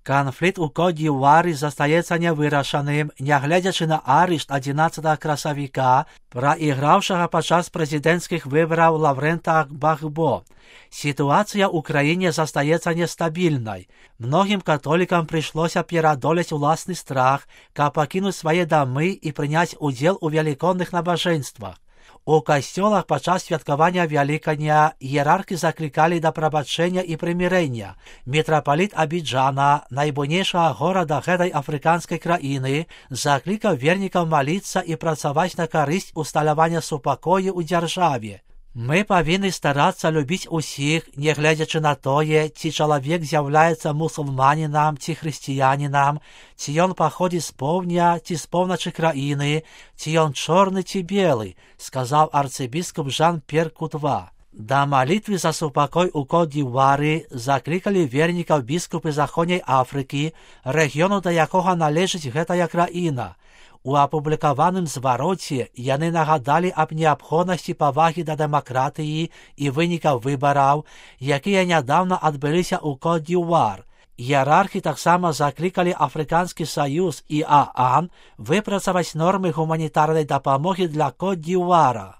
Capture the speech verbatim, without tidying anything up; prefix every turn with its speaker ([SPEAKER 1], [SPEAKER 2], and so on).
[SPEAKER 1] Канфлікт у Кот-д'Івуарі застаецца нявырашаным, нягледзячы на арышт адзінаццатага красавіка праіграўшага падчас прэзідэнцкіх выбараў Лаўрэнта Gbagbo. Сітуацыя ў краіне застаецца нестабільнай. Многім католікам прыйшлося пераадолець уласны страх, каб пакінуць свае дамы і прыняць удзел у велікодных набажэнствах. У касцёлах падчас святкавання Вялікадня іерархі заклікалі да прабачэння і прымірэння. Мітрапаліт Абіджана, найбуйнейшага горада гэтай афрыканскай краіны, заклікаў вернікаў маліцца і працаваць на карысць усталявання супакою ў дзяржаве. Мы павінны старацца любіць усіх, нягледзячы на тое, ці чалавек з'яўляецца мусульманінам ці хрысціянінам, ці ён паходзіць з поўдня ці з поўначы краіны, ці ён чорны ці белы, сказаў арцыбіскуп Жан-П'ер Кутва. Да малітвы за супакой у Кот-д'Івуары заклікалі вернікаў біскупы Заходняй Афрыкі, рэгіёну, да якога належыць гэтая краіна. У апублікаваным звароце яны нагадалі аб неабходнасці павагі да дэмакратыі і вынікаў выбараў, якія нядаўна адбыліся ў Кот-д'Івуар. Іерархі таксама заклікалі Афрыканскі саюз і ААН выпрацаваць нормы гуманітарнай дапамогі для Кот-д'Івуара.